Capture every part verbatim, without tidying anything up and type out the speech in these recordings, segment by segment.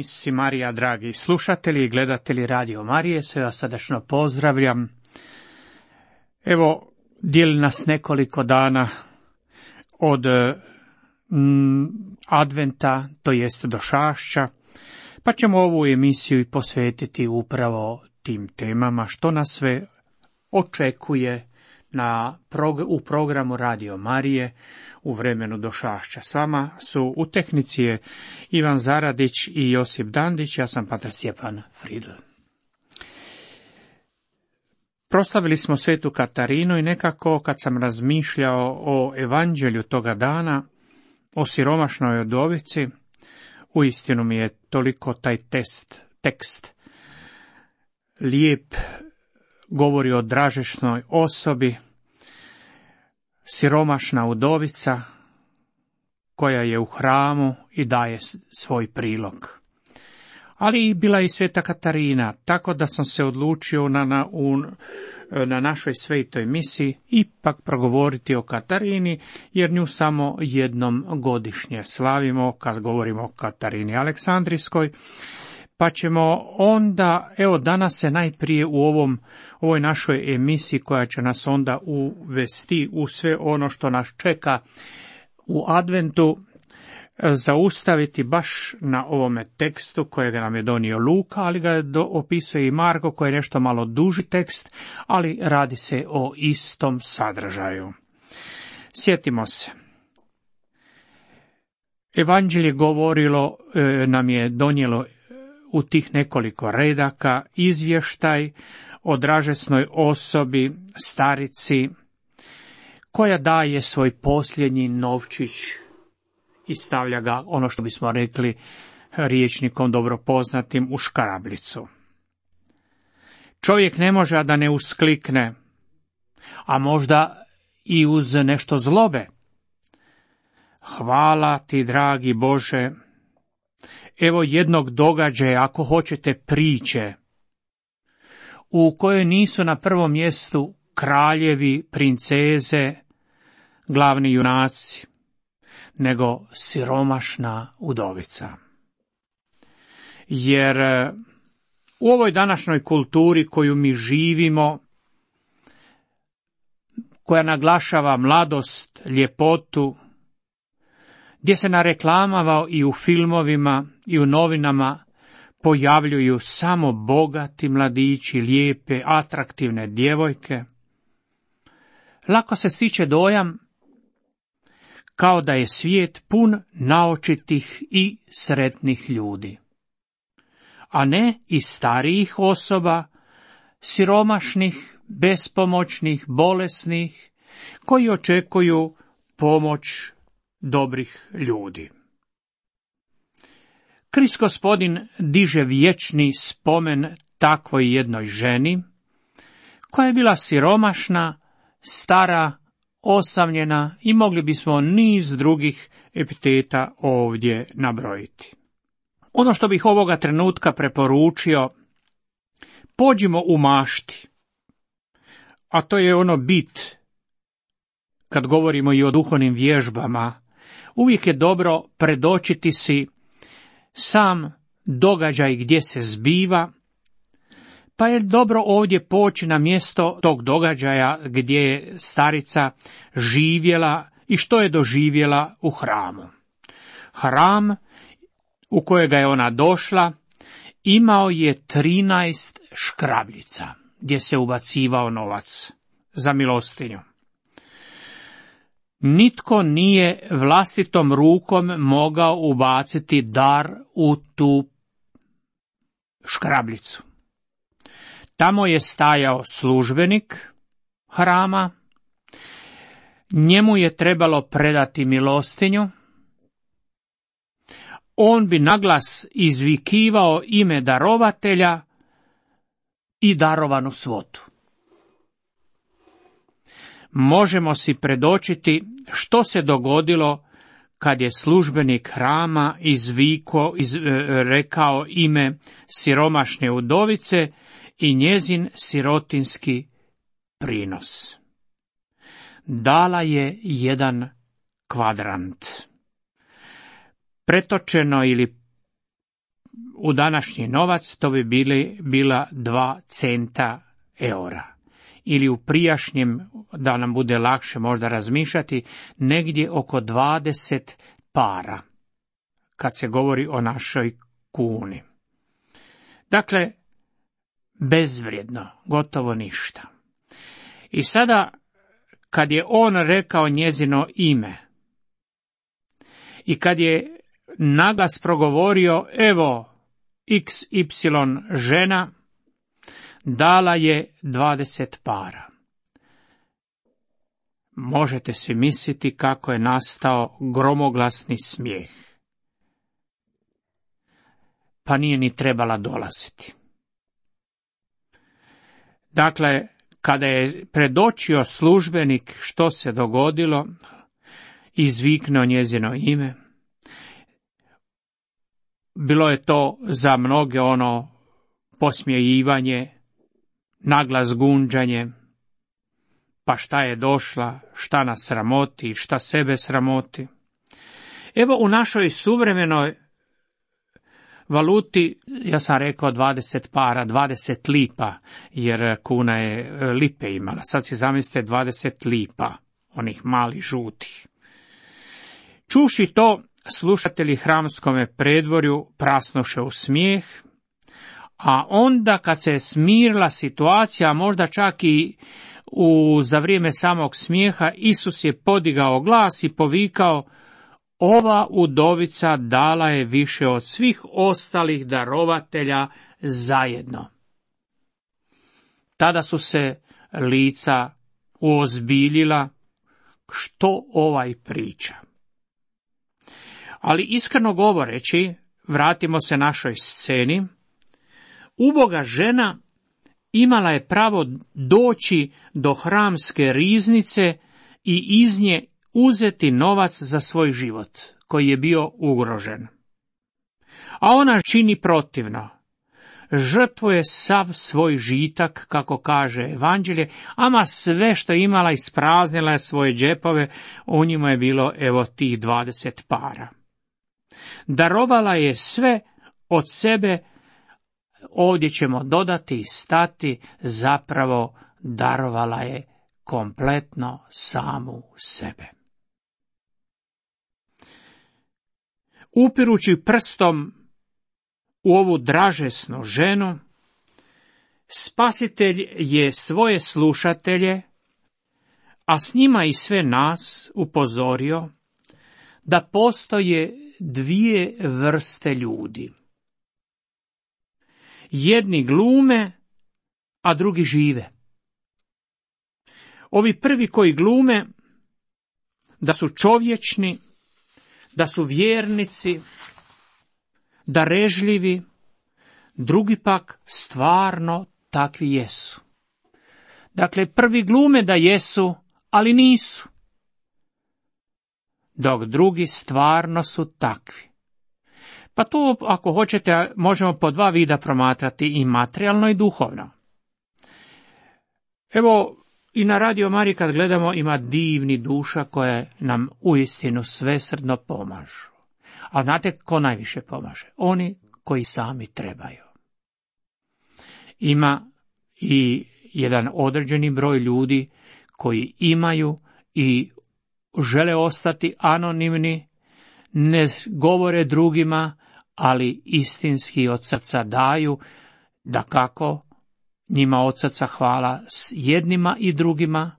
Misisi Marija, dragi slušatelji i gledatelji Radio Marije, sve vas srdačno pozdravljam. Evo, dijeli nas nekoliko dana od mm, adventa, to jest došašća, pa ćemo ovu emisiju i posvetiti upravo tim temama, što nas sve očekuje na prog- u programu Radio Marije u vremenu došašća. S vama su u tehnici je Ivan Zaradić i Josip Dandić, ja sam patar Stjepan Fridl. Proslavili smo svetu Katarinu i nekako kad sam razmišljao o evanđelju toga dana, o siromašnoj udovici, uistinu mi je toliko taj test, tekst lijep, govori o dražešnoj osobi, siromašna udovica koja je u hramu i daje svoj prilog. Ali i bila i sveta Katarina, tako da sam se odlučio na, na, u, na našoj svetoj misiji ipak progovoriti o Katarini, jer nju samo jednom godišnje slavimo kad govorimo o Katarini Aleksandrijskoj. Pa ćemo onda, evo danas se najprije u ovom, ovoj našoj emisiji koja će nas onda uvesti u sve ono što nas čeka u adventu, zaustaviti baš na ovome tekstu kojega nam je donio Luka, ali ga do, opisuje i Marko koji je nešto malo duži tekst, ali radi se o istom sadržaju. Sjetimo se. Evanđelje govorilo, e, nam je donijelo u tih nekoliko redaka izvještaj o dražesnoj osobi, starici, koja daje svoj posljednji novčić i stavlja ga, ono što bismo rekli rječnikom dobro poznatim, u škrablicu. Čovjek ne može a da ne usklikne, a možda i uz nešto zlobe. Hvala ti, dragi Bože. Evo jednog događaja, ako hoćete priče, u kojoj nisu na prvom mjestu kraljevi, princeze, glavni junaci, nego siromašna udovica. Jer u ovoj današnjoj kulturi koju mi živimo, koja naglašava mladost, ljepotu, gdje se na reklamama i u filmovima i u novinama pojavljuju samo bogati mladići, lijepe, atraktivne djevojke, lako se stiče dojam kao da je svijet pun naočitih i sretnih ljudi, a ne i starijih osoba, siromašnih, bespomoćnih, bolesnih, koji očekuju pomoć dobrih ljudi. Krist Gospodin diže vječni spomen takvoj jednoj ženi, koja je bila siromašna, stara, osamljena i mogli bismo niz drugih epiteta ovdje nabrojiti. Ono što bih ovoga trenutka preporučio, pođimo u mašti, a to je ono bit, kad govorimo i o duhovnim vježbama, uvijek je dobro predočiti si sam događaj gdje se zbiva, pa je dobro ovdje poći na mjesto tog događaja gdje je starica živjela i što je doživjela u hramu. Hram u kojega je ona došla imao je trinaest škrabljica gdje se ubacivao novac za milostinju. Nitko nije vlastitom rukom mogao ubaciti dar u tu škrabljicu. Tamo je stajao službenik hrama, njemu je trebalo predati milostinju, on bi naglas izvikivao ime darovatelja i darovanu svotu. Možemo si predočiti što se dogodilo kad je službenik hrama izviko, iz, rekao ime siromašne udovice i njezin sirotinski prinos. Dala je jedan kvadrant. Pretočeno ili u današnji novac to bi bili, bila dva centa eura. Ili u prijašnjem, da nam bude lakše možda razmišljati, negdje oko dvadeset para, kad se govori o našoj kuni. Dakle, bezvrijedno, gotovo ništa. I sada, kad je on rekao njezino ime i kad je naglas progovorio, evo, iks ipsilon žena, dala je dvadeset para. Možete si misliti kako je nastao gromoglasni smijeh. Pa nije ni trebala dolaziti. Dakle, kada je predočio službenik što se dogodilo, izviknuo njezino ime, bilo je to za mnoge ono posmijevanje, naglas gunđanje, pa šta je došla, šta nas sramoti, šta sebe sramoti. Evo u našoj suvremenoj valuti, ja sam rekao dvadeset para, dvadeset lipa, jer kuna je lipe imala. Sad si zamislite dvadeset lipa, onih malih žutih. Čuši to, slušatelji hramskome predvorju prasnuše u smijeh, a onda kad se smirila situacija, možda čak i u, za vrijeme samog smijeha, Isus je podigao glas i povikao, ova udovica dala je više od svih ostalih darovatelja zajedno. Tada su se lica uozbiljila, što ovaj priča. Ali iskreno govoreći, vratimo se našoj sceni, uboga žena imala je pravo doći do hramske riznice i iz nje uzeti novac za svoj život, koji je bio ugrožen. A ona čini protivno. Žrtvuje sav svoj žitak, kako kaže evanđelje, ama sve što je imala ispraznila je svoje džepove, u njima je bilo evo tih dvadeset para. Darovala je sve od sebe, ovdje ćemo dodati i stati, zapravo darovala je kompletno samu sebe. Upirući prstom u ovu dražesnu ženu, Spasitelj je svoje slušatelje, a s njima i sve nas, upozorio da postoje dvije vrste ljudi. Jedni glume, a drugi žive. Ovi prvi koji glume da su čovječni, da su vjernici, darežljivi, drugi pak stvarno takvi jesu. Dakle, prvi glume da jesu, ali nisu. Dok drugi stvarno su takvi. Pa to, ako hoćete, možemo po dva vida promatrati, i materijalno i duhovno. Evo, i na Radio Mariji kad gledamo, ima divni duša koje nam uistinu svesrdno pomažu. A znate ko najviše pomaže? Oni koji sami trebaju. Ima i jedan određeni broj ljudi koji imaju i žele ostati anonimni, ne govore drugima, ali istinski od srca daju, dakako njima od srca hvala s jednima i drugima.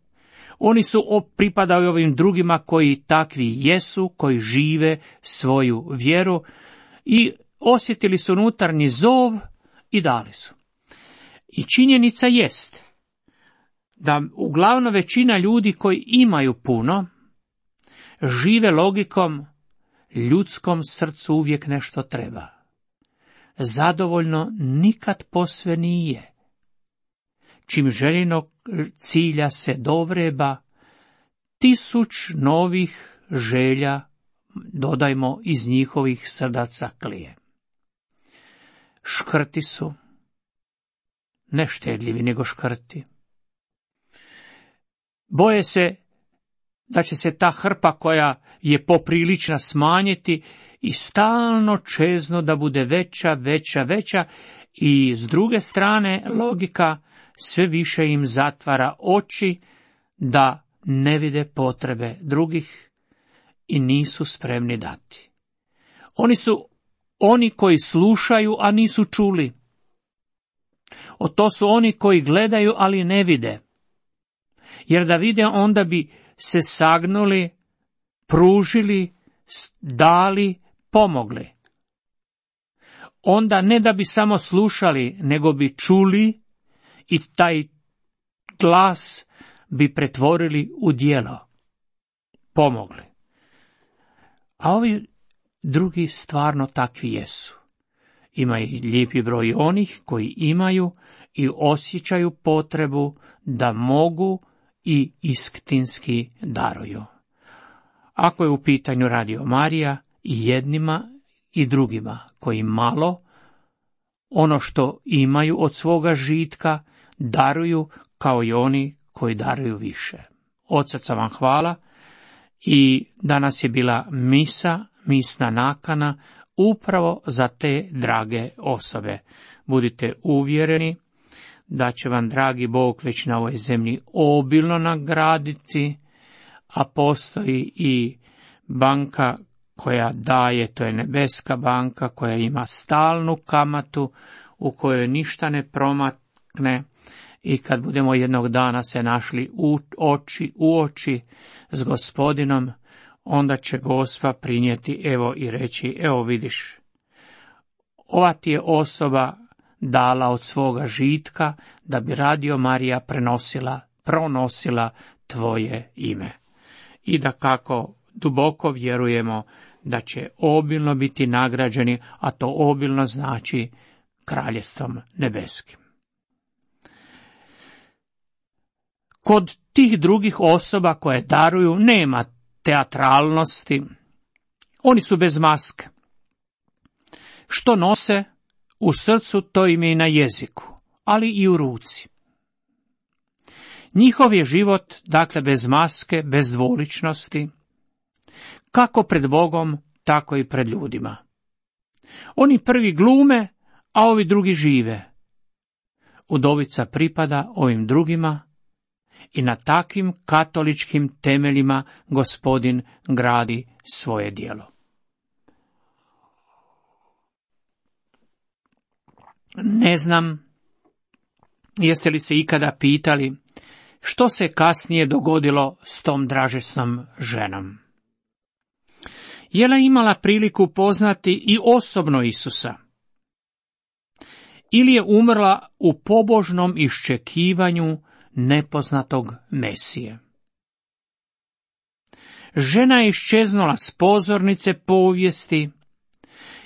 Oni su pripadaju ovim drugima koji takvi jesu, koji žive svoju vjeru i osjetili su unutarnji zov i dali su. I činjenica jest da uglavnom većina ljudi koji imaju puno žive logikom ljudskom srcu uvijek nešto treba. Zadovoljno nikad posve nije. Čim željenog cilja se dovreba, tisuć novih želja, dodajmo, iz njihovih srdaca klije. Škrti su, ne štedljivi nego škrti. Boje se da će se ta hrpa koja je poprilična smanjiti i stalno čezno da bude veća, veća, veća i s druge strane logika sve više im zatvara oči da ne vide potrebe drugih i nisu spremni dati. Oni su oni koji slušaju, a nisu čuli. O to su oni koji gledaju, ali ne vide. Jer da vide, onda bi se sagnuli, pružili, dali, pomogli. Onda ne da bi samo slušali, nego bi čuli i taj glas bi pretvorili u djelo. Pomogli. A ovi drugi stvarno takvi jesu. Ima i lijepi broj onih koji imaju i osjećaju potrebu da mogu i istinski daruju. Ako je u pitanju Radio Marija, i jednima i drugima koji malo, ono što imaju od svoga žitka, daruju kao i oni koji daruju više. Od srca vam hvala i danas je bila misa, misna nakana upravo za te drage osobe. Budite uvjereni da će vam dragi Bog već na ovoj zemlji obilno nagraditi, a postoji i banka koja daje, to je nebeska banka koja ima stalnu kamatu u kojoj ništa ne promakne i kad budemo jednog dana se našli u oči u oči s Gospodinom, onda će Gospa prinijeti evo i reći, evo vidiš, ova ti je osoba dala od svoga žitka da bi Radio Marija prenosila, pronosila tvoje ime. I da kako duboko vjerujemo da će obilno biti nagrađeni, a to obilno znači kraljestvom nebeskim. Kod tih drugih osoba koje daruju nema teatralnosti, oni su bez maske. Što nose u srcu, to im je i na jeziku, ali i u ruci. Njihov je život, dakle, bez maske, bez dvoličnosti, kako pred Bogom, tako i pred ljudima. Oni prvi glume, a ovi drugi žive. Udovica pripada ovim drugima i na takvim katoličkim temeljima Gospodin gradi svoje djelo. Ne znam, jeste li se ikada pitali što se kasnije dogodilo s tom dražesnom ženom? Je li imala priliku poznati i osobno Isusa? Ili je umrla u pobožnom iščekivanju nepoznatog Mesije? Žena je iščeznula s pozornice povijesti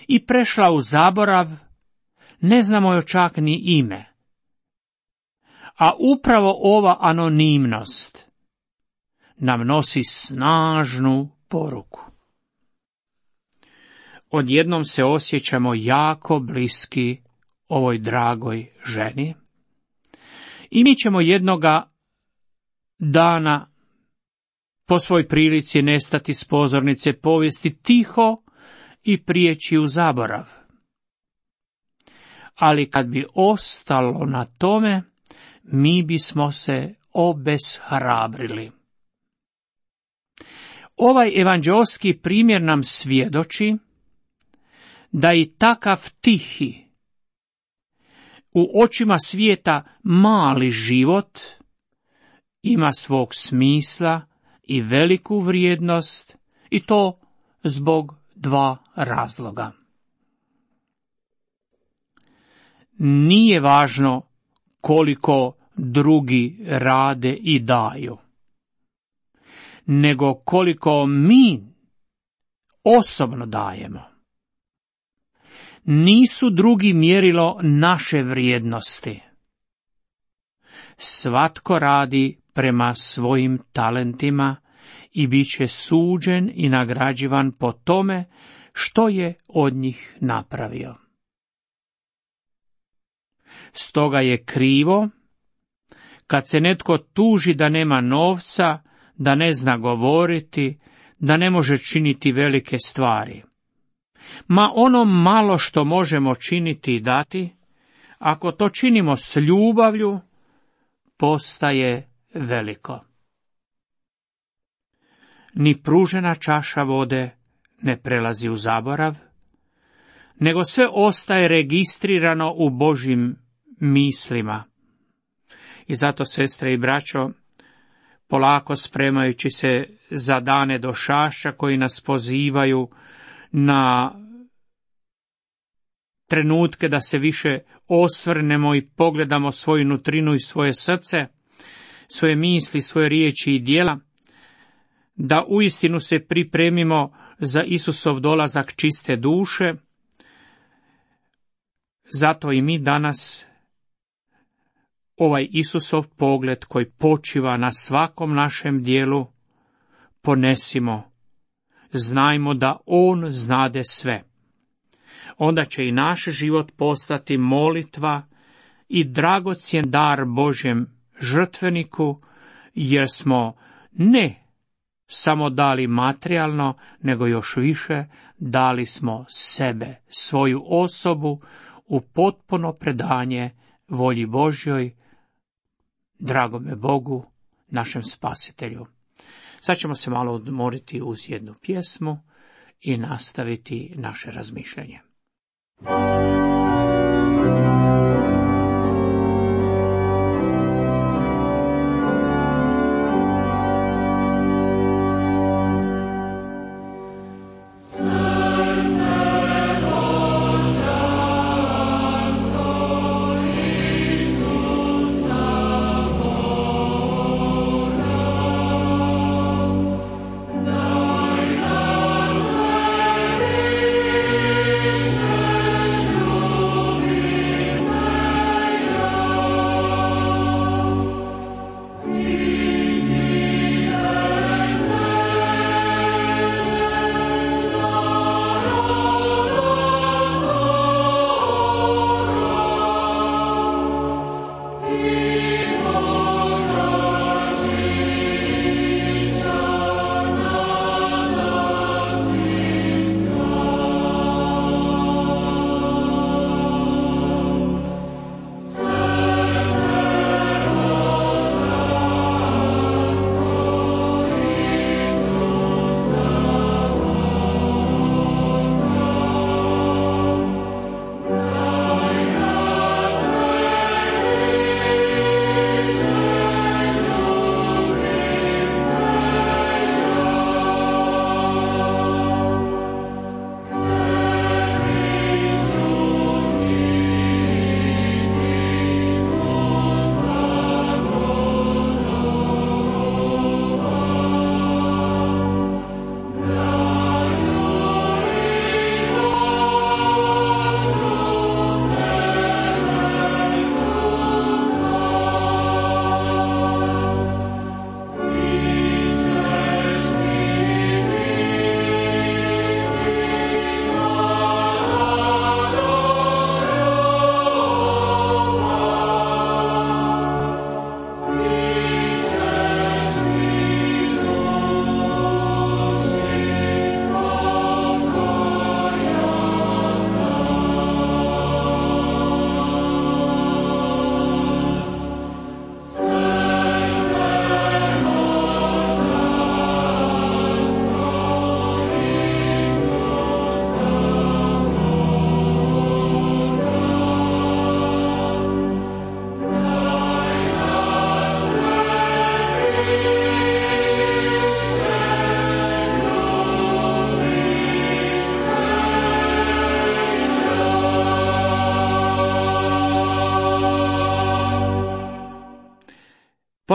i prešla u zaborav, ne znamo joj čak ni ime. A upravo ova anonimnost nam nosi snažnu poruku. Odjednom se osjećamo jako bliski ovoj dragoj ženi i mi ćemo jednoga dana po svoj prilici nestati s pozornice povijesti tiho i prijeći u zaborav. Ali kad bi ostalo na tome, mi bismo se obeshrabrili. Ovaj evanđeoski primjer nam svjedoči da i takav tihi, u očima svijeta mali život, ima svog smisla i veliku vrijednost, i to zbog dva razloga. Nije važno koliko drugi rade i daju, nego koliko mi osobno dajemo. Nisu drugi mjerilo naše vrijednosti. Svatko radi prema svojim talentima i bit će suđen i nagrađivan po tome što je od njih napravio. Stoga je krivo kad se netko tuži da nema novca da ne zna govoriti, da ne može činiti velike stvari. Ma ono malo što možemo činiti i dati, ako to činimo s ljubavlju, postaje veliko. Ni pružena čaša vode ne prelazi u zaborav, nego sve ostaje registrirano u Božjim mislima. I zato, sestre i braćo, polako spremajući se za dane došašća koji nas pozivaju na trenutke da se više osvrnemo i pogledamo svoju nutrinu i svoje srce, svoje misli, svoje riječi i djela, da uistinu se pripremimo za Isusov dolazak čiste duše. Zato i mi danas ovaj Isusov pogled koji počiva na svakom našem dijelu ponesimo. Znajmo da On znade sve. Onda će i naš život postati molitva i dragocjen dar Božjem žrtveniku, jer smo ne samo dali materijalno, nego još više dali smo sebe, svoju osobu, u potpuno predanje volji Božjoj, dragome Bogu, našem Spasitelju. Sad ćemo se malo odmoriti uz jednu pjesmu i nastaviti naše razmišljanje.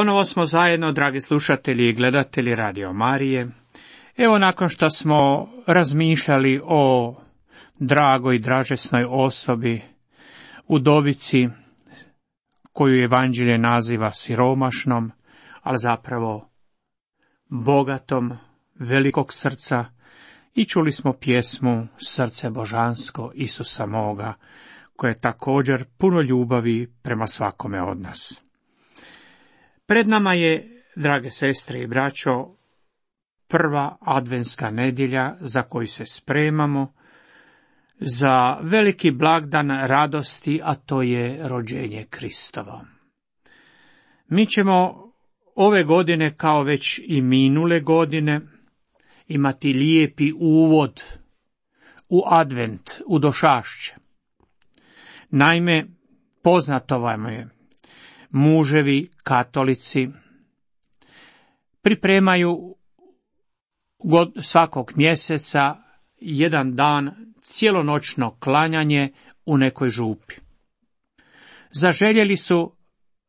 Ponovo smo zajedno, dragi slušatelji i gledatelji Radio Marije. Evo, nakon što smo razmišljali o dragoj i dražesnoj osobi, udovici, koju Evanđelje naziva siromašnom, ali zapravo bogatom, velikog srca, i čuli smo pjesmu Srce božansko Isusa moga, koje je također puno ljubavi prema svakome od nas. Pred nama je drage sestre i braćo, prva adventska nedjelja za koju se spremamo za veliki blagdan radosti, a to je rođenje Kristovo. Mi ćemo ove godine, kao već i minule godine, imati lijepi uvod u advent, u došašće. Naime, poznato vam je, muževi katolici pripremaju svakog mjeseca jedan dan cijelonoćno klanjanje u nekoj župi. Zaželjeli su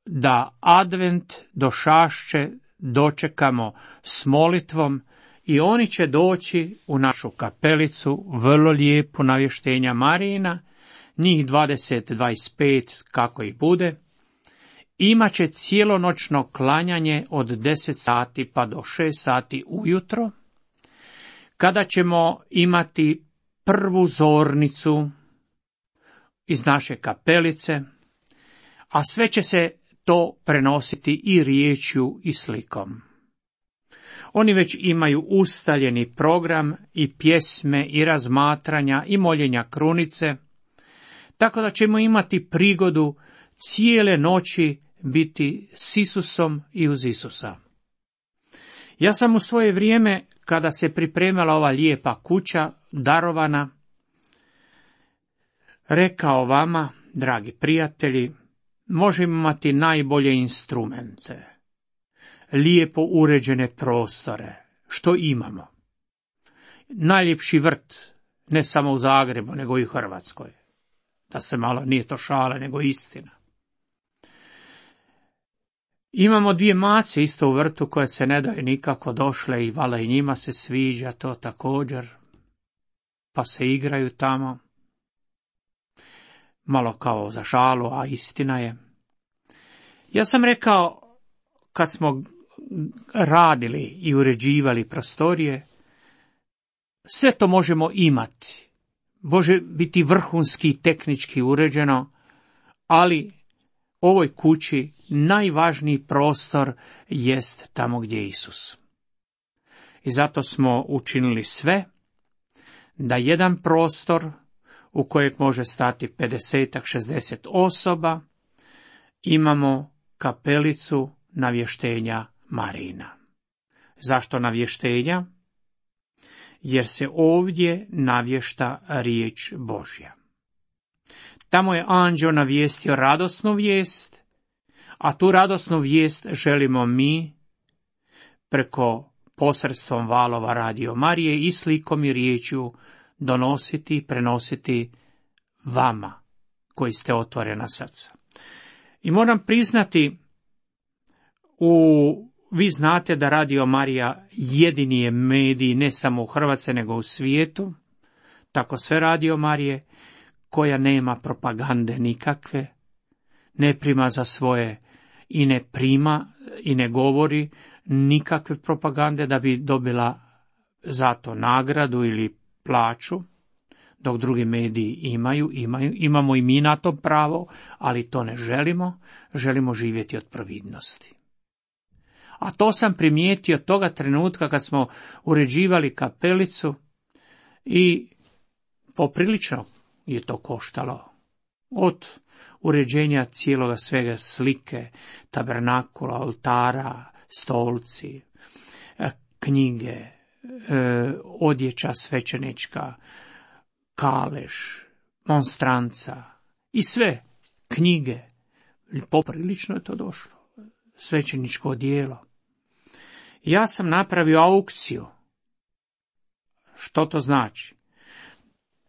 da advent, došašće dočekamo s molitvom i oni će doći u našu kapelicu, vrlo lijepu navještenja Marijina, njih dvadeset do dvadeset pet kako i bude. Imaće cijelonoćno klanjanje od deset sati pa do šest sati ujutro, kada ćemo imati prvu zornicu iz naše kapelice, a sve će se to prenositi i riječju i slikom. Oni već imaju ustaljeni program i pjesme i razmatranja i moljenja krunice, tako da ćemo imati prigodu cijele noći biti s Isusom i uz Isusa. Ja sam u svoje vrijeme, kada se pripremala ova lijepa kuća, darovana, rekao vama, dragi prijatelji, možemo imati najbolje instrumente, lijepo uređene prostore, što imamo. Najljepši vrt, ne samo u Zagrebu, nego i u Hrvatskoj. Da se malo, nije to šala, nego istina. Imamo dvije mace isto u vrtu koje se ne daju nikako, došle i vala i njima se sviđa to također, pa se igraju tamo. Malo kao za šalu, a istina je. Ja sam rekao, kad smo radili i uređivali prostorije, sve to možemo imati. Može biti vrhunski i tehnički uređeno, ali ovoj kući najvažniji prostor jest tamo gdje je Isus. I zato smo učinili sve da jedan prostor u kojeg može stati pedeset do šezdeset osoba, imamo kapelicu navještenja Marijina. Zašto navještenja? Jer se ovdje navješta riječ Božja. Tamo je anđeo navijestio radosnu vijest, a tu radosnu vijest želimo mi preko posredstvom valova Radio Marije i slikom i riječju donositi i prenositi vama koji ste otvorena srca. I moram priznati, u, vi znate da Radio Marija jedini je medij ne samo u Hrvatskoj nego u svijetu, tako sve Radio Marije, koja nema propagande nikakve, ne prima za svoje i ne prima i ne govori nikakve propagande da bi dobila za to nagradu ili plaću, dok drugi mediji imaju, imaju, imamo i mi na to pravo, ali to ne želimo, želimo živjeti od providnosti. A to sam primijetio toga trenutka kad smo uređivali kapelicu i poprilično je to koštalo. Od uređenja cijeloga svega, slike, tabernakula, oltara, stolci, knjige, odjeća svećenička, kalež, monstranca i sve knjige. Poprilično je to došlo. Svećeničko odijelo. Ja sam napravio aukciju. Što to znači?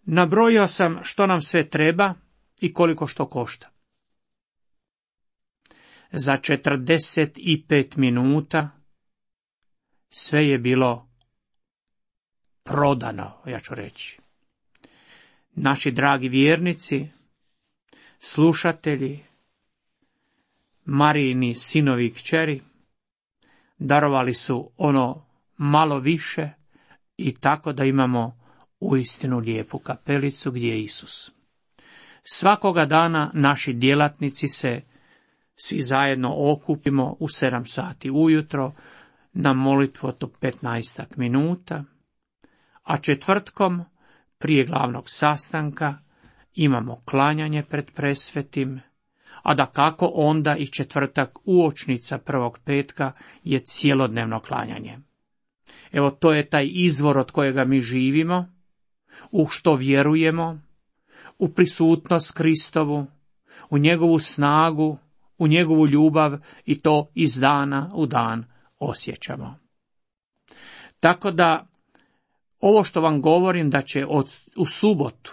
Nabrojio sam što nam sve treba i koliko što košta. Za četrdeset pet minuta sve je bilo prodano, ja ću reći. Naši dragi vjernici, slušatelji, Marijini sinovi i kćeri, darovali su ono malo više i tako da imamo uistinu lijepu kapelicu gdje je Isus. Svakoga dana naši djelatnici se svi zajedno okupimo u sedam sati ujutro na molitvu od petnaestak minuta, a četvrtkom prije glavnog sastanka imamo klanjanje pred presvetim, a da kako onda i četvrtak uočnica prvog petka je cjelodnevno klanjanje. Evo, to je taj izvor od kojega mi živimo, u što vjerujemo, u prisutnost Kristovu, u njegovu snagu, u njegovu ljubav i to iz dana u dan osjećamo. Tako da, ovo što vam govorim da će od, u subotu,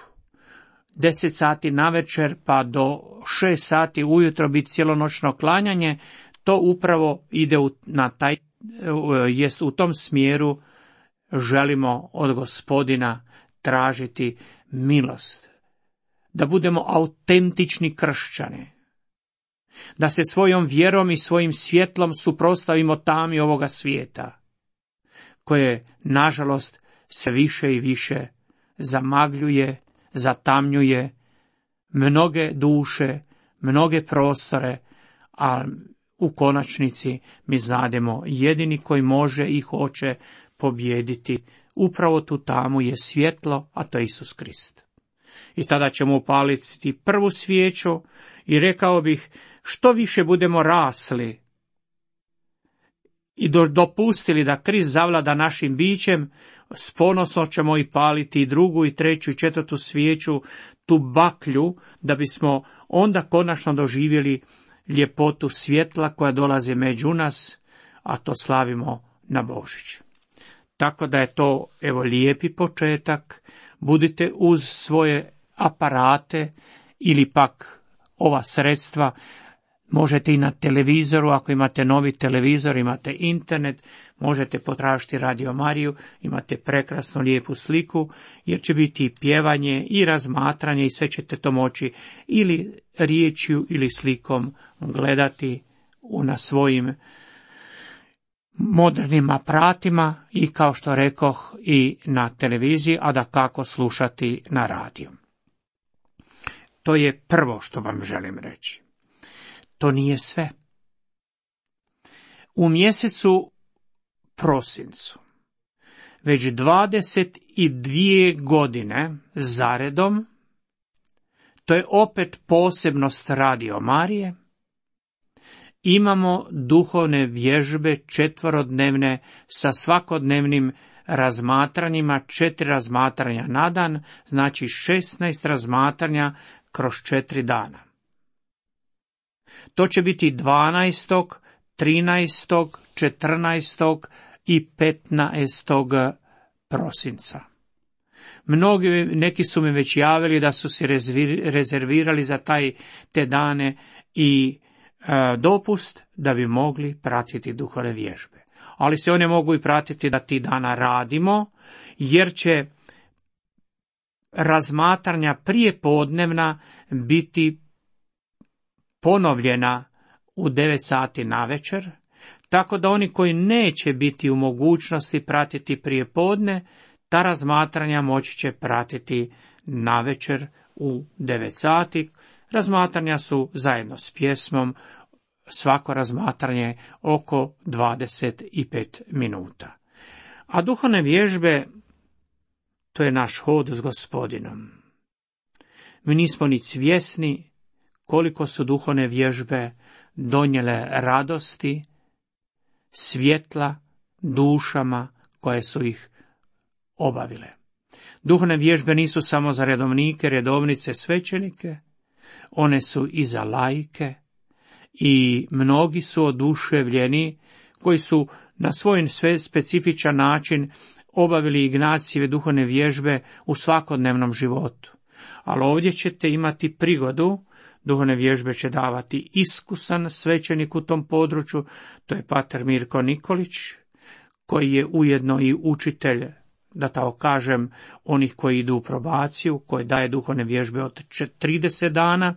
deset sati navečer pa do šest sati ujutro biti cijelonoćno klanjanje, to upravo ide u, na taj, jest u tom smjeru želimo od Gospodina tražiti milost, da budemo autentični kršćani, da se svojom vjerom i svojim svjetlom suprotstavimo tami ovoga svijeta, koje, nažalost, sve više i više zamagljuje, zatamnjuje mnoge duše, mnoge prostore, a u konačnici mi znademo jedini koji može i hoće pobijediti upravo tu tamu je svjetlo, a to je Isus Krist. I tada ćemo upaliti prvu svijeću i rekao bih, što više budemo rasli i dopustili da Krist zavlada našim bićem, s ponosno ćemo i paliti i drugu i treću i četvrtu svijeću, tu baklju, da bismo onda konačno doživjeli ljepotu svjetla koja dolazi među nas, a to slavimo na Božić. Tako da je to, evo, lijepi početak. Budite uz svoje aparate ili pak ova sredstva. Možete i na televizoru, ako imate novi televizor, imate internet, možete potražiti Radio Mariju, imate prekrasnu lijepu sliku, jer će biti i pjevanje i razmatranje i sve ćete to moći ili riječju ili slikom gledati na svojim modernim aparatima i, kao što rekoh, i na televiziji, a da kako slušati na radiju. To je prvo što vam želim reći. To nije sve. U mjesecu prosincu, već dvadeset dvije godine zaredom, to je opet posebnost Radio Marije, imamo duhovne vježbe četverodnevne sa svakodnevnim razmatranjima, četiri razmatranja na dan, znači šesnaest razmatranja kroz četiri dana. To će biti dvanaestog, trinaestog, četrnaestog i petnaestog prosinca. Mnogi, neki su mi već javili da su se rezervirali za taj, te dane i e, dopust da bi mogli pratiti duhovne vježbe. Ali se one mogu i pratiti da ti dana radimo, jer će razmatranja prije podnevna biti ponovljena u devet sati navečer, tako da oni koji neće biti u mogućnosti pratiti prije podne, ta razmatranja moći će pratiti navečer u devet sati. Razmatranja su zajedno s pjesmom, svako razmatranje oko dvadeset pet minuta. A duhovne vježbe, to je naš hod s Gospodinom. Mi nismo ni svjesni koliko su duhovne vježbe donijele radosti, svjetla dušama koje su ih obavile. Duhovne vježbe nisu samo za redovnike, redovnice, svećenike, one su i za laike i mnogi su oduševljeni koji su na svoj sve specifičan način obavili Ignacijeve duhovne vježbe u svakodnevnom životu. Ali ovdje ćete imati prigodu, duhovne vježbe će davati iskusan svećenik u tom području, to je pater Mirko Nikolić, koji je ujedno i učitelj, da tako kažem, onih koji idu u probaciju, koji daje duhovne vježbe od trideset dana,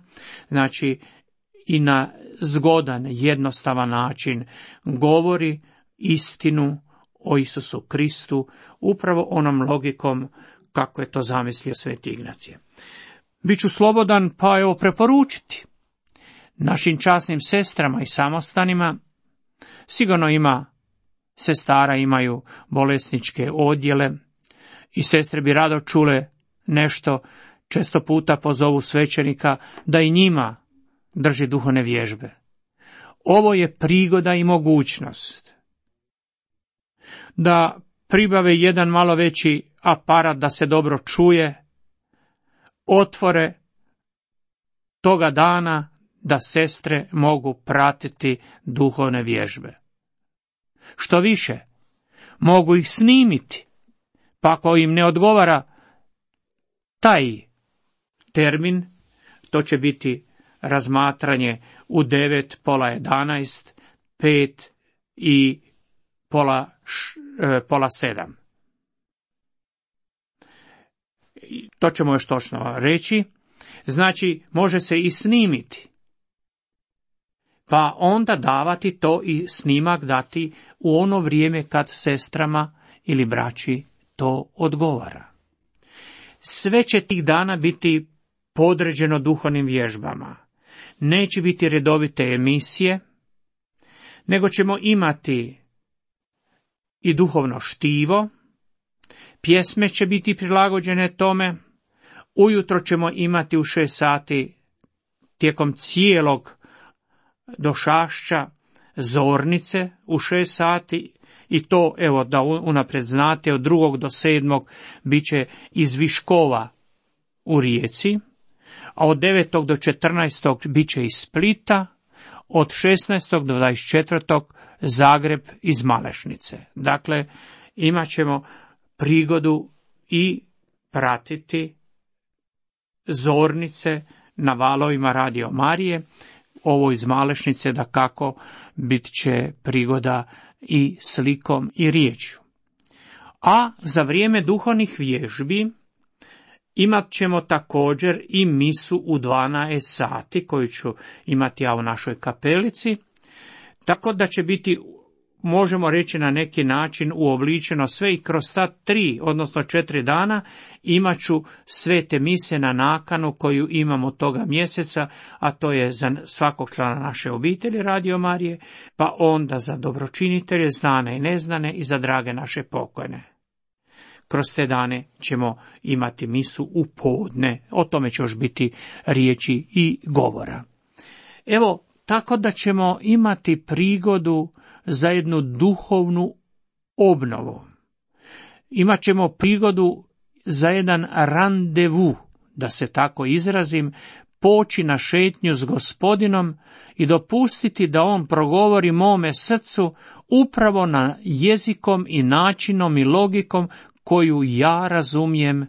znači i na zgodan, jednostavan način govori istinu o Isusu Kristu, upravo onom logikom kako je to zamislio sveti Ignacije. Biću slobodan, pa evo preporučiti našim časnim sestrama i samostanima. Sigurno ima sestara, imaju bolesničke odjele i sestre bi rado čule nešto, često puta pozovu svećenika da i njima drži duhovne vježbe. Ovo je prigoda i mogućnost da pribave jedan malo veći aparat da se dobro čuje, otvore toga dana da sestre mogu pratiti duhovne vježbe. Što više, mogu ih snimiti, pa ako im ne odgovara taj termin, to će biti razmatranje u devet, pola jedanaest, pet i pola, š, e, pola sedam. To ćemo još točno reći. Znači, može se i snimiti, pa onda davati to i snimak dati u ono vrijeme kad sestrama ili braći to odgovara. Sve će tih dana biti podređeno duhovnim vježbama. Neće biti redovite emisije, nego ćemo imati i duhovno štivo, pjesme će biti prilagođene tome, ujutro ćemo imati u šest sati tijekom cijelog došašća zornice u šest sati, i to, evo, da unaprijed znate, od drugog do sedmog bit će iz Viškova u Rijeci, a od devetog do četrnaestog bit će iz Splita, od šesnaestog do dvadeset četvrtog Zagreb iz Malešnice. Dakle, imat ćemo prigodu i pratiti zornice na valovima Radio Marije. Ovo iz Malešnice, da kako, bit će prigoda i slikom i riječju. A za vrijeme duhovnih vježbi imat ćemo također i misu u dvanaest sati, koju ću imati ja u našoj kapelici, tako da će biti, možemo reći na neki način, uobličeno sve i kroz ta tri, odnosno četiri dana imat ću sve te mise na nakanu koju imamo toga mjeseca, a to je za svakog člana naše obitelji Radio Marije, pa onda za dobročinitelje, znane i neznane, i za drage naše pokojne. Kroz te dane ćemo imati misu u podne, o tome će još biti riječi i govora. Evo, tako da ćemo imati prigodu za jednu duhovnu obnovu. Imaćemo prigodu za jedan randevu, da se tako izrazim, poći na šetnju s Gospodinom i dopustiti da on progovori mome srcu upravo na jezikom i načinom i logikom koju ja razumijem.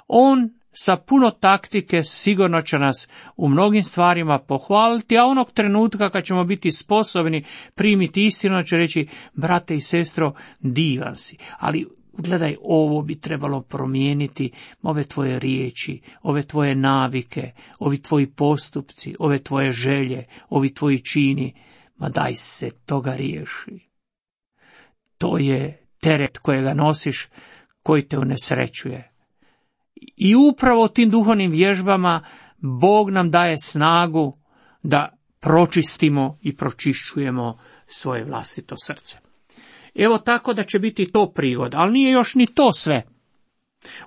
On sa puno taktike sigurno će nas u mnogim stvarima pohvaliti, a onog trenutka kad ćemo biti sposobni primiti istinu, će reći: brate i sestro, divan si, ali gledaj, ovo bi trebalo promijeniti, ove tvoje riječi, ove tvoje navike, ovi tvoji postupci, ove tvoje želje, ovi tvoji čini, ma daj se toga riješi. To je teret kojega nosiš, koji te unesrećuje. I upravo tim duhovnim vježbama Bog nam daje snagu da pročistimo i pročišćujemo svoje vlastito srce. Evo, tako da će biti to prigoda, ali nije još ni to sve.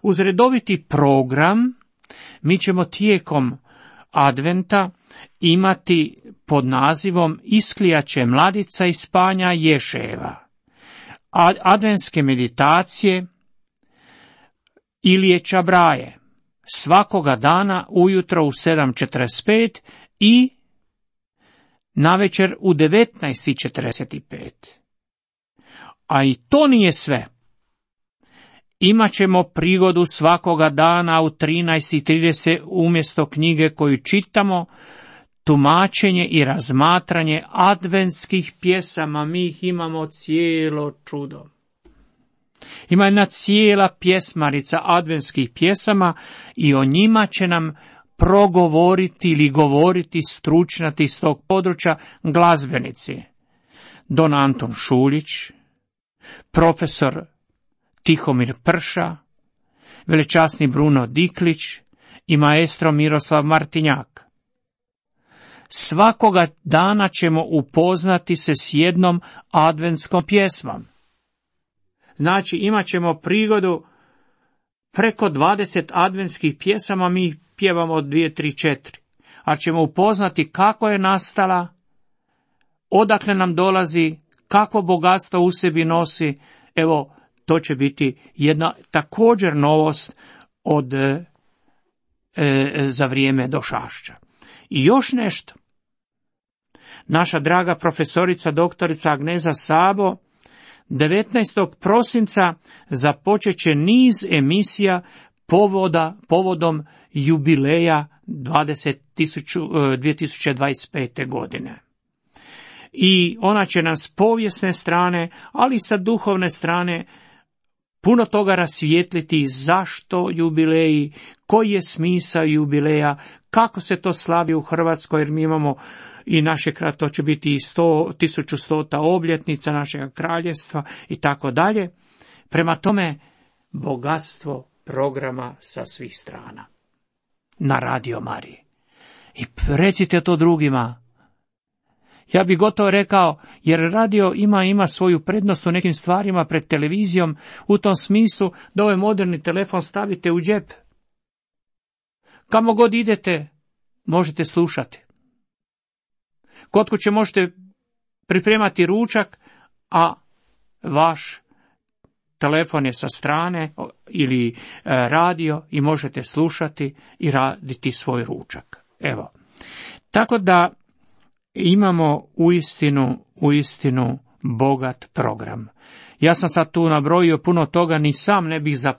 Uz redoviti program mi ćemo tijekom adventa imati pod nazivom Isklijaće mladica iz Panja Ješeva, adventske meditacije Ilije Čabraje, svakoga dana ujutro u sedam četrdeset pet i navečer u devetnaest četrdeset pet. A i to nije sve. Imaćemo prigodu svakoga dana u trinaest trideset umjesto knjige koju čitamo, tumačenje i razmatranje adventskih pjesama. Mi ih imamo cijelo čudo. Ima jedna cijela pjesmarica adventskih pjesama i o njima će nam progovoriti ili govoriti stručnjaci iz tog područja, glazbenici. Don Anton Šuljić, profesor Tihomir Prša, velečasni Bruno Diklić i maestro Miroslav Martinjak. svakoga dana ćemo upoznati se s jednom adventskom pjesmom. Znači, imat ćemo prigodu preko dvadeset adventskih pjesama, mi ih pjevamo od dvije, tri, četiri. Ali ćemo upoznati kako je nastala, odakle nam dolazi, kakvo bogatstvo u sebi nosi. Evo, to će biti jedna također novost od e, za vrijeme Došašća. I još nešto. Naša draga profesorica doktorica Agneza Sabo devetnaestog prosinca započeće niz emisija povoda, povodom jubileja dvije tisuće dvadeset pete. godine. I ona će nam s povijesne strane, ali i sa duhovne strane, puno toga rasvijetliti zašto jubileji, koji je smisao jubileja, kako se to slavi u Hrvatskoj, jer mi imamo i naše, to će biti i tisuću stota obljetnica našeg kraljevstva i tako dalje. Prema tome, bogatstvo programa sa svih strana na Radio Mariji. I recite to drugima. Ja bih gotovo rekao, jer radio ima ima svoju prednost u nekim stvarima pred televizijom, u tom smislu da ovaj moderni telefon stavite u džep. Kamo god idete, možete slušati. Kod kuće možete pripremati ručak, a vaš telefon je sa strane ili radio i možete slušati i raditi svoj ručak. Evo. Tako da imamo uistinu, uistinu bogat program. Ja sam sad tu nabrojio puno toga, ni sam ne bih za,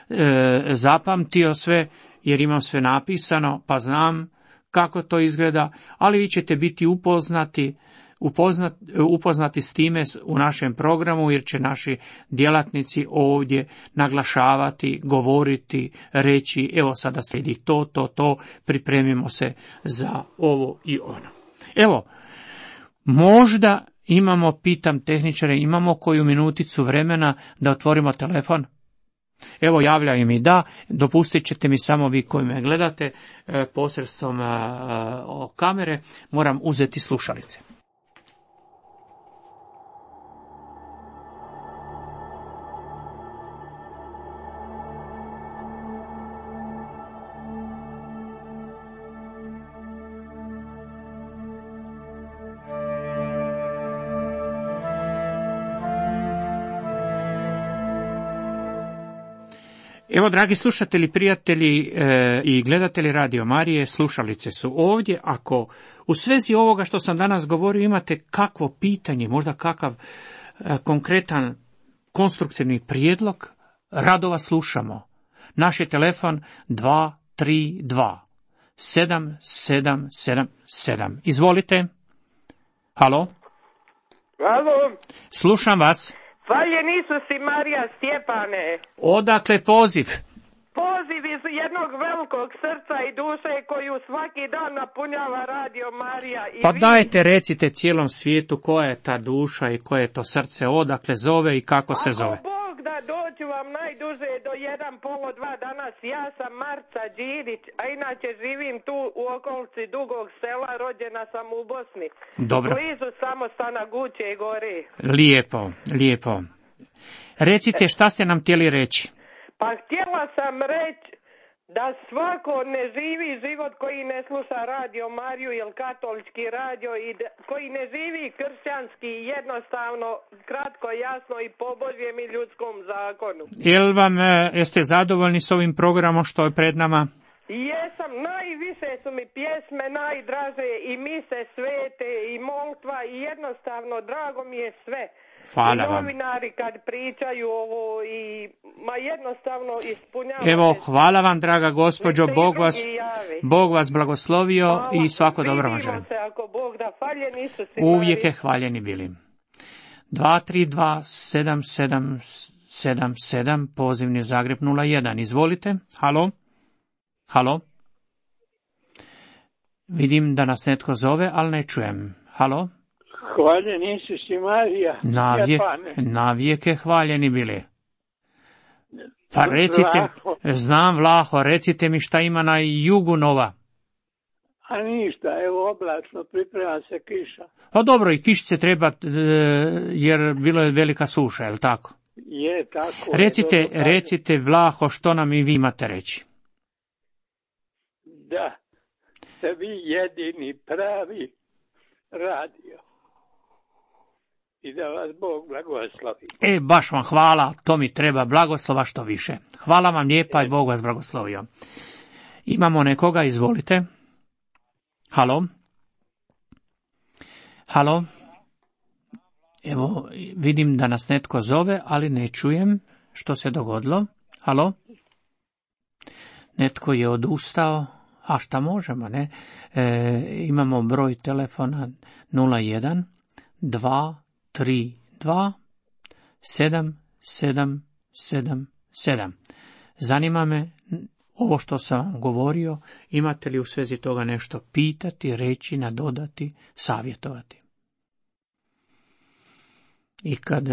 e, zapamtio sve, jer imam sve napisano, pa znam kako to izgleda, ali vi ćete biti upoznati, upoznati, upoznati s time u našem programu, jer će naši djelatnici ovdje naglašavati, govoriti, reći, evo sada slijedi to, to, to, pripremimo se za ovo i ono. Evo, možda imamo, pitam tehničare, imamo koju minuticu vremena da otvorimo telefon? Evo, javljaju mi da, dopustit ćete mi samo vi koji me gledate posredstvom kamere, moram uzeti slušalice. Evo, dragi slušatelji, prijatelji e, i gledatelji Radio Marije, slušalice su ovdje. Ako u svezi ovoga što sam danas govorio imate kakvo pitanje, možda kakav e, konkretan konstruktivni prijedlog, rado vas slušamo. Naš je telefon dva tri dva sedam sedam sedam sedam. Izvolite. Halo? Halo? Slušam vas. Hvaljen Isus i Marija, Stjepane. Odakle poziv? Poziv iz jednog velikog srca i duše koju svaki dan napunjava Radio Marija. I pa vi... dajte, recite cijelom svijetu koja je ta duša i koje je to srce, odakle zove i kako se zove. Ako Bog da, doću vam najduže do jedan polo dva danas. Ja sam Marca Đirić, a inače živim tu u okolici Dugog Sela, rođena sam u Bosni. Dobro. Blizu samostana Guće i Gore. Lijepo, lijepo. Recite, šta ste nam htjeli reći? Pa htjela sam reći da svako ne živi život koji ne sluša Radio Mariju ili katolički radio i da, koji ne živi kršćanski, jednostavno, kratko, jasno i po Božjem i ljudskom zakonu. Jel vam, jeste zadovoljni s ovim programom što je pred nama? Jesam, najviše su mi pjesme najdraže i mise svete i molitva i jednostavno drago mi je sve. Hvala I vam. novinari kad pričaju ovo i ma jednostavno ispunjavate. Evo, hvala vam, draga gospođo, Bog vas, Bog vas blagoslovio. Hvala. I svako dobro vam želim. Uvijek je hvaljeni bili. dva tri dva sedam sedam sedam sedam, pozivni Zagreb nula jedan. Izvolite. Halo? Halo? Vidim da nas netko zove, ali ne čujem. Halo? Hvaljen Isus i Marija. Navijek, navijeke hvaljeni bili. Pa recite, Vlaho. Znam Vlaho, recite mi šta ima na jugu nova. A ništa, evo oblačno, priprema se kiša. Pa dobro, i kišice treba, jer bilo je velika suša, je li tako? Je, tako. Recite, je, dobro, recite Vlaho, što nam i vi imate reći? da ste vi jedini pravi radio. I da vas Bog blagoslovi. E, baš vam hvala, to mi treba, blagoslova što više. Hvala vam lijepa i Bog vas blagoslovio. Imamo nekoga, izvolite. Halo? Halo? Evo, vidim da nas netko zove, ali ne čujem što se dogodilo. Halo? Netko je odustao, a šta možemo, ne? E, imamo broj telefona nula jedan dva tri dva sedam sedam sedam sedam. Zanima me ovo što sam vam govorio, imate li u svezi toga nešto pitati, reći, nadodati, savjetovati. I kad,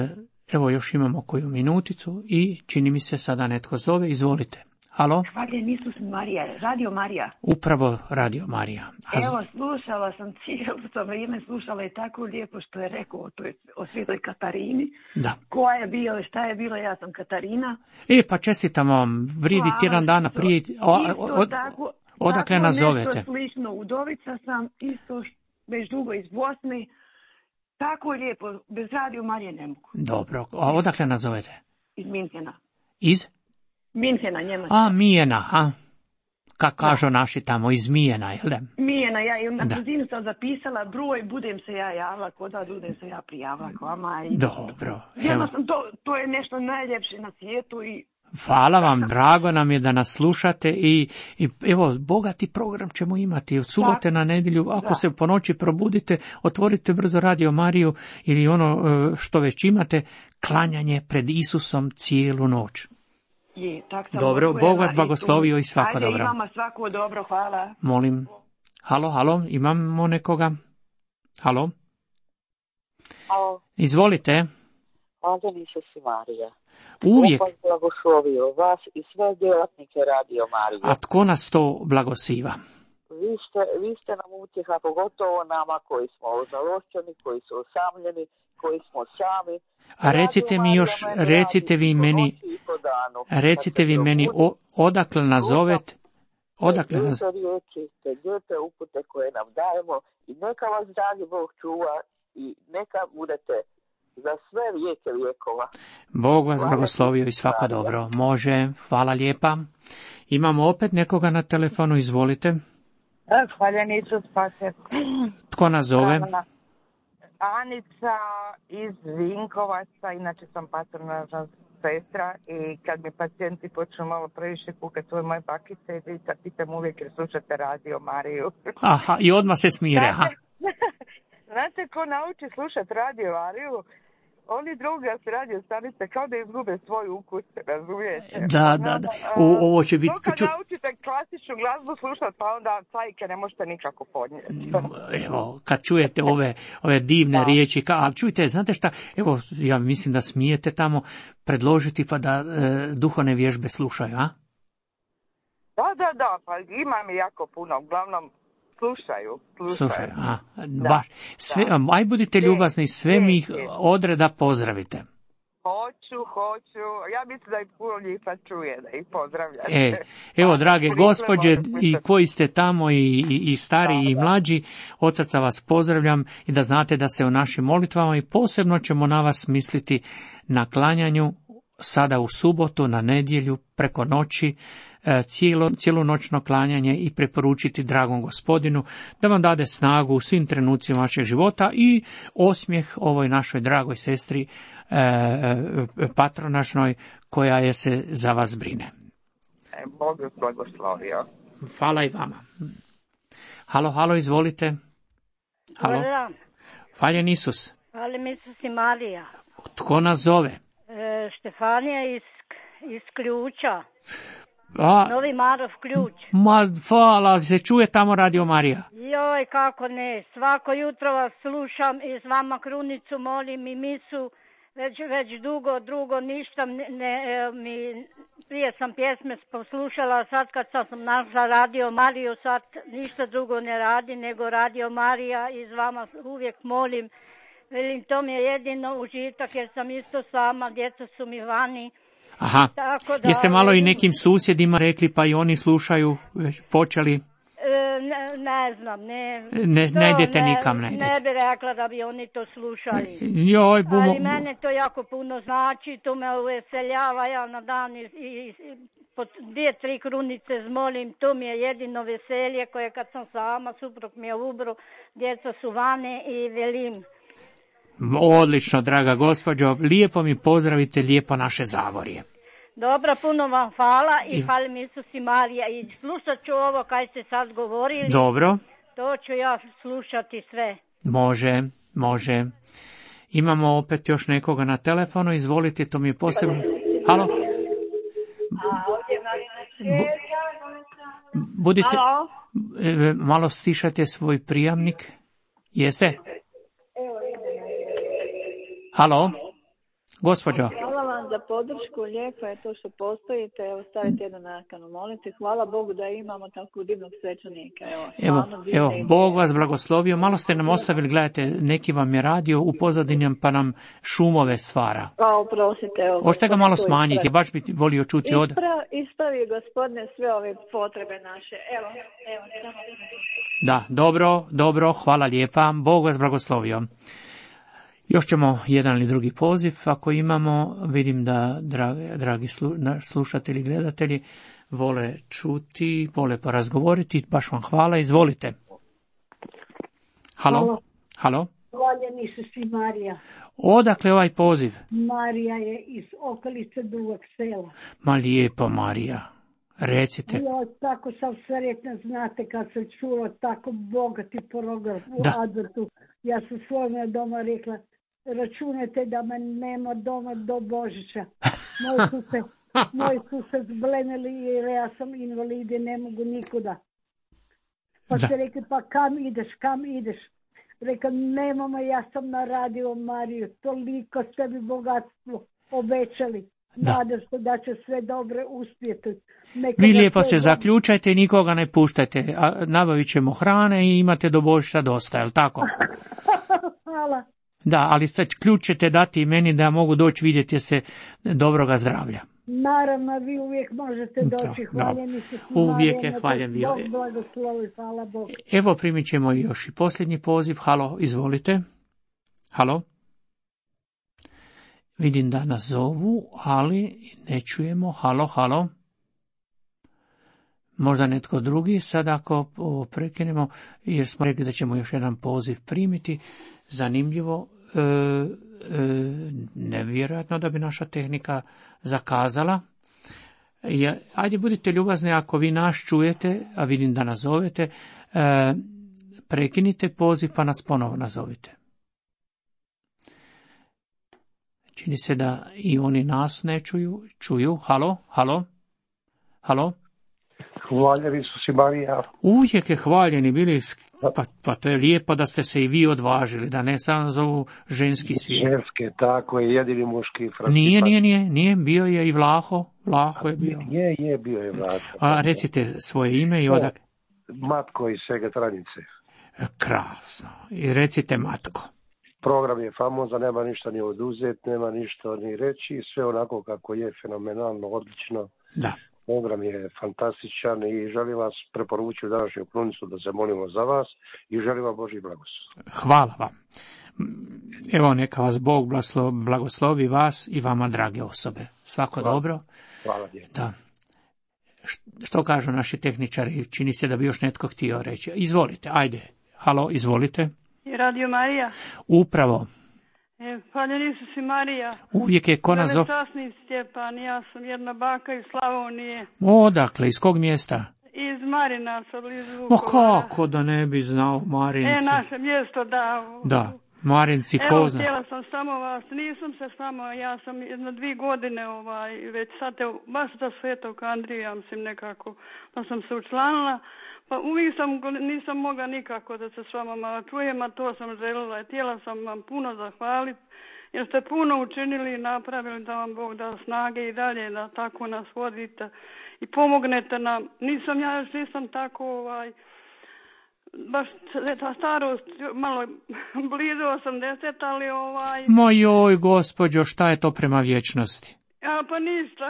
evo još imamo koju minuticu i čini mi se sada netko zove, izvolite. Halo? Hvaljen Isus Marija, Radio Marija. Upravo Radio Marija. A... Evo, slušala sam cijelo to vrijeme, slušala je tako lijepo što je rekao o, toj, o svetoj Katarini. Da. Koja je bila, šta je bila, ja sam Katarina. E, pa čestitam vam, vridi tjedan dana prije, o, o, od, tako, odakle tako nas zovete? Nešto slično, udovica sam, isto već dugo iz Bosne. Tako lijepo, bez Radio Marije ne mogu. Dobro, a odakle nas zovete? Iz Minhena. Iz? Minhena, Njemačka. A, Mijena, a? Kako kažu naši tamo, iz Mijena, jel da? Mijena, ja i na Da. brzinu sam zapisala broj, budem se ja javila, kod da budem se ja prijavila k vama. I... Dobro, evo. Jednostavno, to, to je nešto najljepše na svijetu i Hvala vam, drago nam je da nas slušate i, i evo, bogati program ćemo imati od subote na nedjelju. Ako Da. se po noći probudite, otvorite brzo Radio Mariju ili ono e, što već imate, klanjanje pred Isusom cijelu noć. je, tak sam Dobro, odgojena Bog vas i blagoslovio tu. i svako Ajde, dobro. i vama svako dobro, hvala. Molim. Halo, halo, imamo nekoga? Halo? Halo, Izvolite. Hvala Isus i Marija. Uvijek. Bog vas blagoslovio vas i sve djelatnike Radio Marije. A tko nas to blagosiva? Vi ste, vi ste nam utjeha, pogotovo nama koji smo ožalošćeni, koji su osamljeni, koji smo sami. A recite mi još, recite vi meni, recite vi meni o, odakle nas zovete, odakle nas... Te riječi, te lijepe upute koje nam dajemo i neka vas dragi Bog čuva i neka budete za sve vijeke vijekova. Bog vas Hvala blagoslovio i svako Marija. dobro. Može, hvala lijepa. Imamo opet nekoga na telefonu, izvolite. Hvaljen Isus spase. Tko nas zove? Anica iz Vinkovaca, inače sam patronažna sestra i kad mi pacijenti počnu malo previše kukati svoje moje bakice i djeca, pitam uvijek jer slušate Radio Mariju. Aha, i odmah se smire. Aha. Znate ko nauči slušati Radio Mariju? Oni drugi se radio stanice kao da izgube svoj ukus, razumijete? Da, da, da. O, ovo će biti... To kad naučite klasičnu glazbu slušati, pa onda cajke ne možete nikako podnijeti. Evo, kad čujete ove, ove divne Da. riječi, ka, a čujte, znate šta, evo, ja mislim da smijete tamo predložiti pa da e, duhovne vježbe slušaju, a? Da, da, da, pa imam jako puno, uglavnom slušaju. Slušaju, Slušaju, a, Da, baš. Sve, da. aj budite Je, ljubazni, sve mi ih je, je. odreda pozdravite. Hoću, hoću, ja mislim da i puno njih sad čuje, da ih pozdravljate. E, evo, Pa, drage koliko gospođe možete i pisati. koji ste tamo i, i, i stari Da, i da. mlađi, od srca vas pozdravljam i da znate da se u našim molitvama i posebno ćemo na vas misliti na klanjanju sada u subotu, na nedjelju, preko noći, e, cijelo, cijelo klanjanje i preporučiti dragom Gospodinu da vam dade snagu u svim trenucima vašeg života i osmijeh ovoj našoj dragoj sestri e, e, patronažnoj koja je se za vas brine. E, Bog vas blagoslovio. Hvala i vama. Halo, halo, izvolite. Halo. Dobar dan. Hvaljen Isus. Hvala Isus i Marija. Tko nas zove? E, Štefanija iz, iz Ključa. A, Novi Marov Ključ. ma, hvala, se čuje tamo Radio Marija. Joj, kako ne. Svako jutro vas slušam i s vama krunicu molim i misu već, već dugo, drugo ništa ne, ne, mi, prije sam pjesme poslušala, sad kad sam našla Radio Mariju, sad ništa drugo ne radi nego Radio Marija i s vama uvijek molim. Velim, to mi je jedino užitak jer sam isto sama, djeca su mi vani. Aha, tako da, jeste malo i nekim susjedima rekli pa i oni slušaju, već počeli? Ne, ne znam, ne. Ne, ne idete nikam, ne idete. Ne bi rekla da bi oni to slušali. Joj, bumo... Ali mene to jako puno znači, to me uveseljava, ja na dan i, i, i po dvije, tri krunice zmolim, to mi je jedino veselje koje kad sam sama, suprug mi je ubro, djeca su vane i velim. Odlično, draga gospođo, lijepo mi pozdravite, lijepo naše Zagorje. Dobro, puno vam hvala i hvala mi Isus i Marija i slušat ću ovo kaj ste sad govorili. Dobro. To ću ja slušati sve. Može, može. Imamo opet još nekoga na telefonu, izvolite, to mi je posebno. Halo? Bu, budite, Halo? malo stišate svoj prijamnik. Jeste? Halo? Gospođo. Hvala vam za podršku, lijepo je to što postojite, evo stavite jednu nakanu, molite, hvala Bogu da imamo tako divnog svećenika. Evo, evo, evo Bog vas blagoslovio, malo ste nam ostavili, gledajte, neki vam je radio u pozadini pa nam šumove stvara. A, oprostite, evo. Hoćete ga malo smanjiti, baš bi volio čuti od... Ispravi, ispravi gospodine sve ove potrebe naše, evo, evo. Da, dobro, dobro, hvala lijepa, Bog vas blagoslovio. Još ćemo jedan ili drugi poziv, ako imamo, vidim da dragi, dragi slu, slušatelji, gledatelji vole čuti, vole porazgovoriti, baš vam hvala, izvolite. Halo? Halo? Halo? Hvaljeni Isus i Marija. Odakle ovaj poziv? Marija je iz okolice Dugog Sela. Ma lijepo, Marija, recite. Ja tako sam sretna, znate, kad sam čula tako bogati program u da. Adventu. Ja sam svojome doma rekla, računajte da me nema doma do Božića. Moji su se, moji su se zblenili jer ja sam invalid i ne mogu nikuda. Pa da. se rekli, pa kam ideš, kam ideš? Rekla, nemamo, ja sam na Radio Mariju, toliko ste mi bogatstvo obećali. Nadam se da će sve dobro uspjeti. Neka Vi lijepo se dobro... zaključajte i nikoga ne puštajte. Nabavit ćemo hrane i imate do Božića dosta, je li tako? Hvala. Da, ali sad ključ ćete dati i meni da mogu doći vidjeti se dobroga zdravlja. Naravno, vi uvijek možete doći. Hvaljeni se. Uvijek je hvaljen bio. Bog blagoslovi, hvala Bogu. Evo primit ćemo još i posljednji poziv. Halo, izvolite. Halo. Vidim da nas zovu, ali ne čujemo. Halo, halo. Možda netko drugi, sad ako prekinemo, jer smo rekli da ćemo još jedan poziv primiti. Zanimljivo, e, e, nevjerojatno da bi naša tehnika zakazala. Ja, ajde, budite ljubazni, ako vi nas čujete, a vidim da nas zovete, e, prekinite poziv pa nas ponovo nazovite. Čini se da i oni nas ne čuju. Čuju. Halo, halo, halo. Hvaljen Isus i Marija. Uvijek je hvaljeni bili, pa, pa to je lijepo da ste se i vi odvažili, da ne samo zovu ženski svijet. Ženske, tako je, jedini muški francipan. Nije, nije, nije, nije, bio je i Vlaho, Vlaho je bio. Je, je, bio je Vlaho. A recite svoje ime i odak. Matko iz Segetranice. Krasno. I recite Matko. Program je famozan, nema ništa ni oduzet, nema ništa ni reći, sve onako kako je, fenomenalno, odlično. Da. Program je fantastičan i želim vas preporučiti u današnju krunicu da se molimo za vas i želim vam Božji blagoslov. Hvala vam. Evo neka vas Bog blagoslovi vas i vama drage osobe. Svako Hvala. dobro. Hvala lijepo. Da. Što kažu naši tehničari? Čini se da bi još netko htio reći. Izvolite, ajde. Halo, izvolite. Radio Marija. Upravo. Hvaljen Isus i Marija. Uvijek je ko nas zove. Velečasni Stjepan, ja sam jedna baka iz Slavonije. Odakle, iz kog mjesta? Iz Marinaca, blizu O Vukovara. kako da ne bi znao Marinci. E, naše mjesto, da. Da. Marinci Evo, Kozna. htjela sam samo vas, nisam se samo, ja sam jedno dvije godine, ovaj, već sad, evo, baš za Svetog Andrija, ja mislim nekako, pa sam se učlanila, pa uvijek sam, nisam mogla nikako da se s vama malo čujem, a to sam željela, htjela sam vam puno zahvaliti, jer ste puno učinili i napravili da vam Bog da snage i dalje, da tako nas vodite i pomognete nam. Nisam, ja još nisam tako, ovaj, baš ta starost, malo blizu osamdeset, ali ovaj... Ma joj, gospođo, šta je to prema vječnosti? A, pa ništa.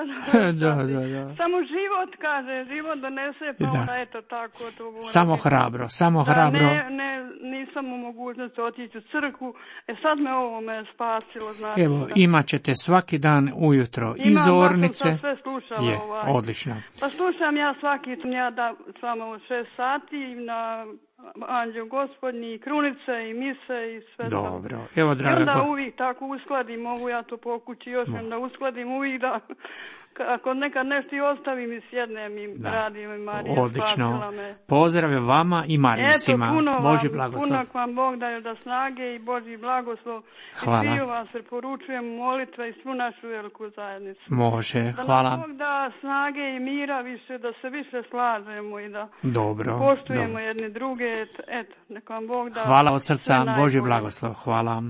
da, da, da. Samo život, kaže, život donese, pa da. onda eto tako. To samo biti. hrabro, samo da, hrabro. Ne, ne, nisam u mogućnosti otići u crkvu, e sad me ovo me spasilo, znači. Evo, da. imat ćete svaki dan ujutro i Imam, zornice. Imam, sve slušala. Je, ovaj. odlično. Pa slušam ja svaki, ja da s vama u šest sati na Anđeo Gospodnji, krunice i mise i sve. Dobro, sam. evo draga. I onda uvijek tako uskladim, mogu ja to po kući još da uskladim uvijek da, ako nekad nešto i ostavim i sjednem i da. radim i Marija odlično. Pozdrave vama i Marincima. Eto, puno Božji vam, blagoslov. puno vam Bog daje da snage i Božji blagoslov. Hvala. I sviju vas preporučujem molitve i svu našu veliku zajednicu. Može, da hvala. Da nam Bog da snage i mira više, da se više slažemo i da dobro, poštujemo dobro. jedni druge. Eto, neka vam Bog da... Hvala od srca, Božji blagoslov, hvala.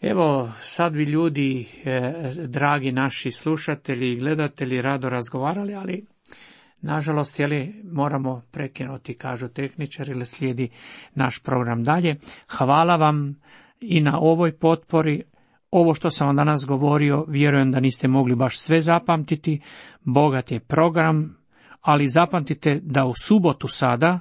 Evo, sad bi ljudi, eh, dragi naši slušatelji i gledatelji, rado razgovarali, ali nažalost, jeli, moramo prekinuti, kažu tehničari, ili slijedi naš program dalje. Hvala vam i na ovoj potpori. Ovo što sam vam danas govorio, vjerujem da niste mogli baš sve zapamtiti. Bogat je program, ali zapamtite da u subotu sada,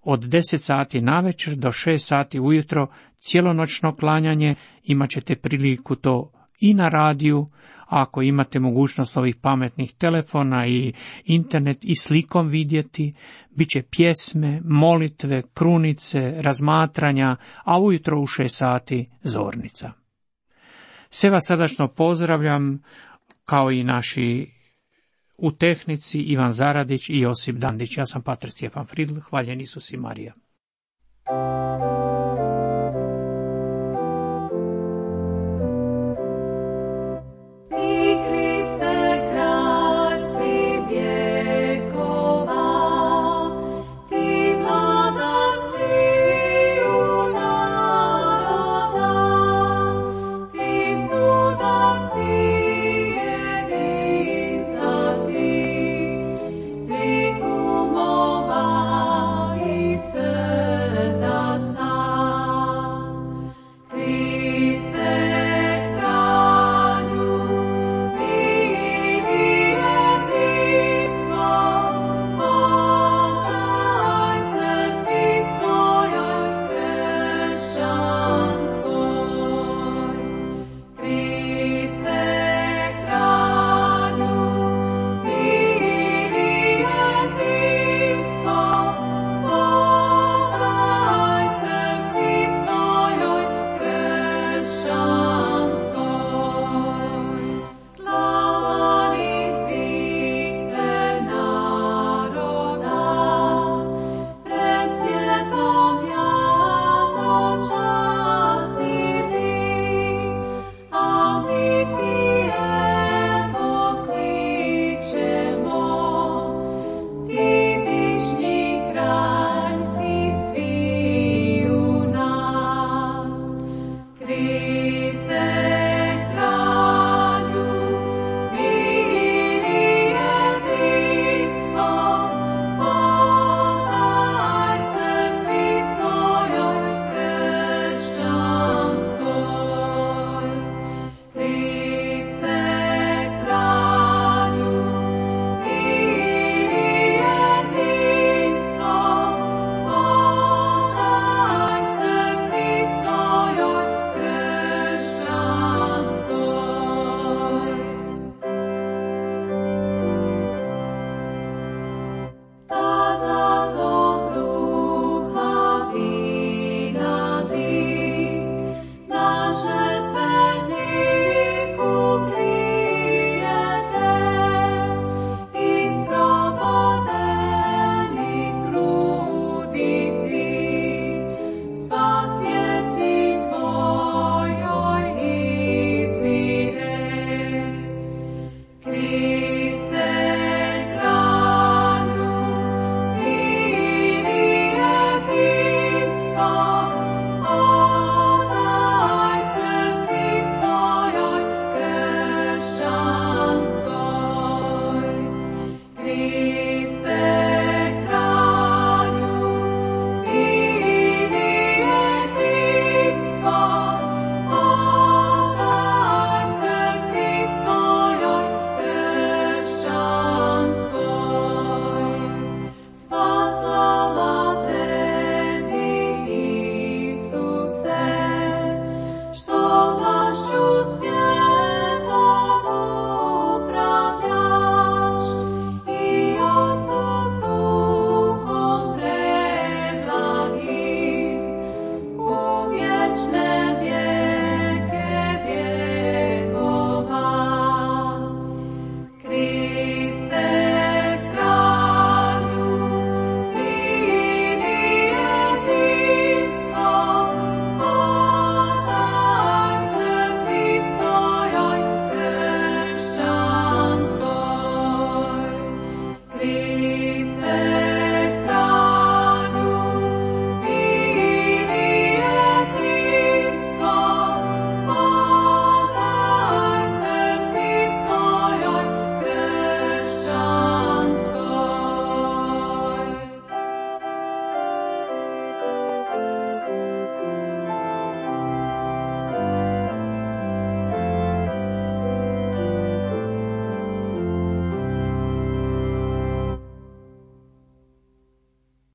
od deset sati navečer do šest sati ujutro, cijelonoćno klanjanje, imat ćete priliku to i na radiju, a ako imate mogućnost ovih pametnih telefona i internet i slikom vidjeti, bit će pjesme, molitve, krunice, razmatranja, a ujutro u šest sati zornica. Sve vas srdačno pozdravljam, kao i naši u tehnici Ivan Zaradić i Josip Dandić. Ja sam Pater Stjepan Fridl, hvaljen Isus i Marija.